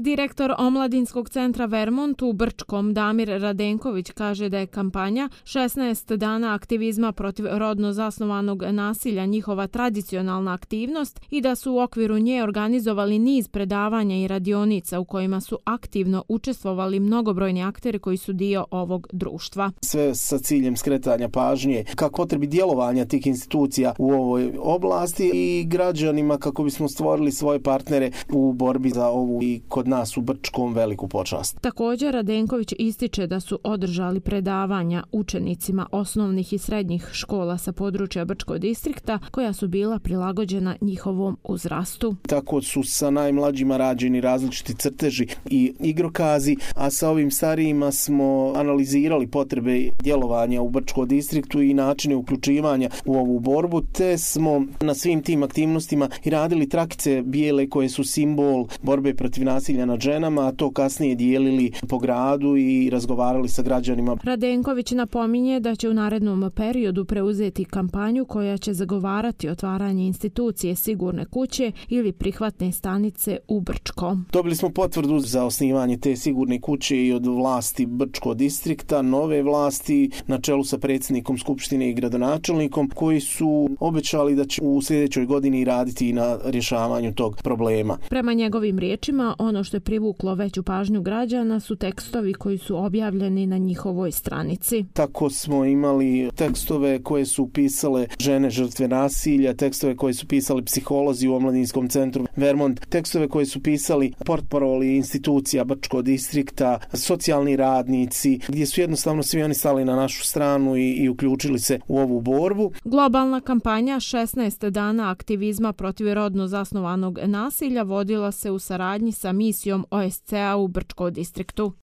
Direktor Omladinskog centra Vermont u Brčkom Damir Radenković kaže da je kampanja 16 dana aktivizma protiv rodno zasnovanog nasilja njihova tradicionalna aktivnost i da su u okviru nje organizovali niz predavanja i radionica u kojima su aktivno učestvovali mnogobrojni akteri koji su dio ovog društva. Sve sa ciljem skretanja pažnje ka potrebi djelovanja tih institucija u ovoj oblasti i građanima kako bismo stvorili svoje partnere u borbi za ovu i kod nas u Brčkom veliku počast. Također Radenković ističe da su održali predavanja učenicima osnovnih i srednjih škola sa područja Brčkog distrikta koja su bila prilagođena njihovom uzrastu. Tako su sa najmlađima rađeni različiti crteži i igrokazi, a sa ovim starijima smo analizirali potrebe djelovanja u Brčkom distriktu i načine uključivanja u ovu borbu, te smo na svim tim aktivnostima i radili trakice bijele koje su simbol borbe protiv nasilja nad ženama, a to kasnije dijelili po gradu i razgovarali sa građanima. Radenković napominje da će u narednom periodu preuzeti kampanju koja će zagovarati otvaranje institucije Sigurne kuće ili prihvatne stanice u Brčkom. Dobili smo potvrdu za osnivanje te Sigurne kuće i od vlasti Brčkog distrikta, nove vlasti na čelu sa predsjednikom Skupštine i gradonačelnikom koji su obećali da će u sljedećoj godini raditi na rješavanju tog problema. Prema njegovim riječima, ono što je privuklo veću pažnju građana su tekstovi koji su objavljeni na njihovoj stranici. Tako smo imali tekstove koje su pisale žene žrtve nasilja, tekstove koje su pisali psiholozi u Omladinskom centru Vermont, tekstove koje su pisali portparoli institucija Brčkog distrikta, socijalni radnici, gdje su jednostavno svi oni stali na našu stranu i uključili se u ovu borbu. Globalna kampanja 16 dana aktivizma protiv rodno zasnovanog nasilja vodila se u saradnji sa misijom OSCE-a u Brčkom distriktu.